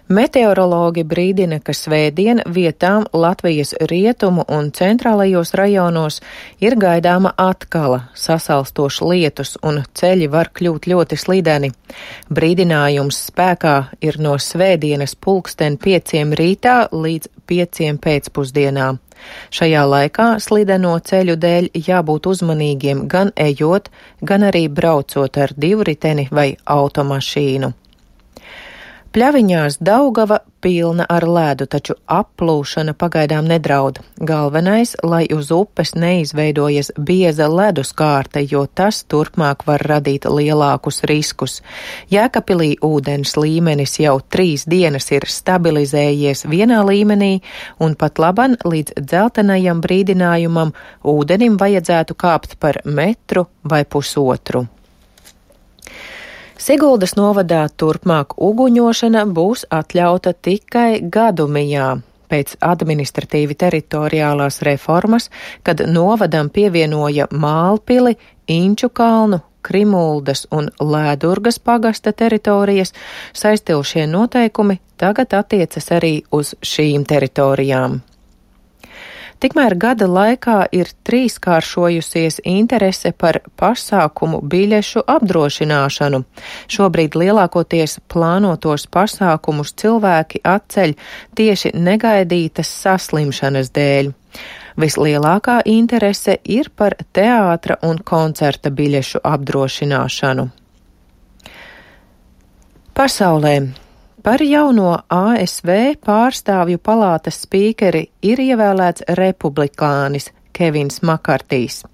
Meteorologi brīdina, ka svētdien vietām Latvijas rietumu un centrālajos rajonos ir gaidāma atkala, sasalstošs lietus un ceļi var kļūt ļoti slideni. Brīdinājums spēkā ir no svētdienas 5:00 rītā līdz 5:00 pēcpusdienā. Šajā laikā slideno ceļu dēļ jābūt uzmanīgiem gan ejot, gan arī braucot ar divriteni vai automašīnu. Pļaviņās Daugava pilna ar ledu, taču applūšana pagaidām nedraud. Galvenais, lai uz upes neizveidojas bieza ledus kārta, jo tas turpmāk var radīt lielākus riskus. Jēkabpilī ūdens līmenis jau 3 dienas ir stabilizējies vienā līmenī, un pat laban līdz dzeltenajam brīdinājumam ūdenim vajadzētu kāpt par 1 metru vai 1,5 metru. Siguldas novadā turpmāk uguņošana būs atļauta tikai Gadumijā. Pēc administratīvi teritoriālās reformas, kad novadam pievienoja Mālpili, Inču kalnu, Krimuldas un Lēdurgas pagasta teritorijas, saistilšie noteikumi tagad attiecas arī uz šīm teritorijām. Tikmēr gada laikā ir 3-kāršojusies interese par pasākumu biļešu apdrošināšanu. Šobrīd lielākoties plānotos pasākumus cilvēki atceļ tieši negaidītas saslimšanas dēļ. Vislielākā interese ir par teātra un koncerta biļešu apdrošināšanu. Pasaulē. Par jauno ASV pārstāvju palātas spīkeri ir ievēlēts republikānis Kevins Makartijs.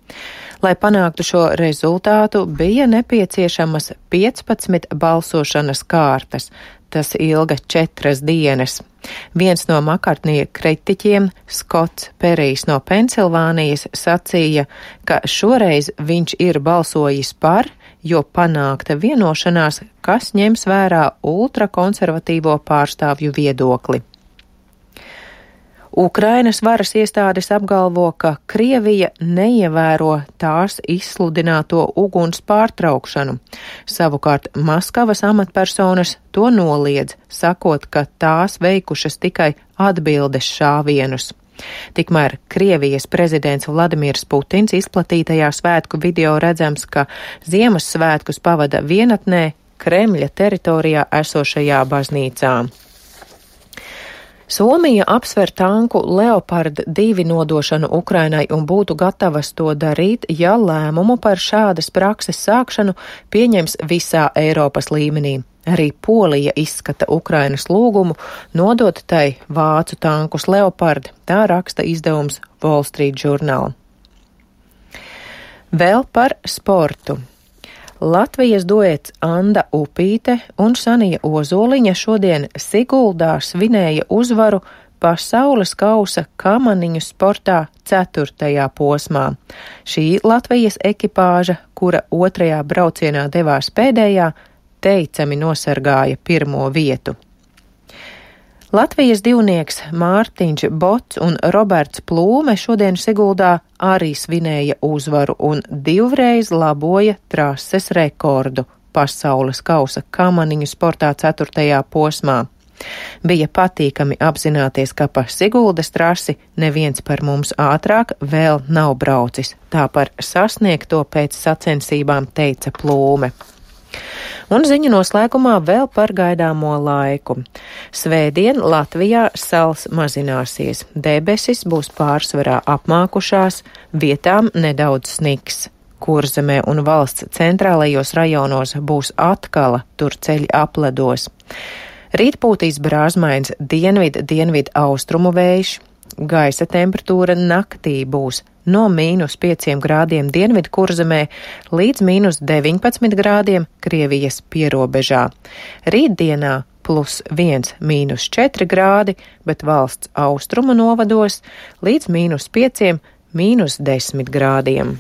Lai panāktu šo rezultātu, bija nepieciešamas 15 balsošanas kārtas. Tas ilga 4 dienas. Viens no Makartnija kritiķiem, Skots Perijs no Pensilvānijas, sacīja, ka šoreiz viņš ir balsojis par, jo panākta vienošanās, kas ņems vērā ultrakonservatīvo pārstāvju viedokli. Ukrainas varas iestādes apgalvo, ka Krievija neievēro tās izsludināto uguns pārtraukšanu. Savukārt Maskavas amatpersonas to noliedz, sakot, ka tās veikušas tikai atbildes šāvienus. Tikmēr Krievijas prezidents Vladimirs Putins izplatītajā svētku video redzams, ka Ziemassvētkus pavada vienatnē Kremļa teritorijā esošajā baznīcā. Somija apsver tanku Leopard 2 nodošanu Ukrainai un būtu gatavas to darīt, ja lēmumu par šādas prakses sākšanu pieņems visā Eiropas līmenī. Arī Polija izskata Ukrainas lūgumu nodot tai vācu tankus Leopard, tā raksta izdevums Wall Street Journal. Vēl par sportu. Latvijas duets Anda Upīte un Sanija Ozoliņa šodien Siguldā svinēja uzvaru pasaules kausa kamaniņu sportā 4. posmā. Šī Latvijas ekipāža, kura 2. braucienā devās pēdējā, teicami nosargāja 1. vietu. Latvijas divnieks Mārtiņš Bots un Roberts Plūme šodien Siguldā arī svinēja uzvaru un 2 laboja trases rekordu pasaules kausa kamaniņu sportā 4. posmā. Bija patīkami apzināties, ka pa Siguldas trasi neviens par mums ātrāk vēl nav braucis. Tā par sasniegto pēc sacensībām teica Plūme. Un ziņu noslēgumā vēl par gaidāmo laiku. Svētdien Latvijā sals mazināsies, debesis būs pārsvarā apmākušās, vietām nedaudz sniks. Kurzemē un valsts centrālajos rajonos būs atkala, tur ceļi apledos. Rīt pūtīs brāzmains dienvidu austrumu vējš. Gaisa temperatūra naktī būs no -5 grādiem dienvidu Kurzemē līdz -19 grādiem Krievijas pierobežā. Rītdienā +1, -4 grādi, bet valsts austrumu novados līdz -5, -10 grādiem.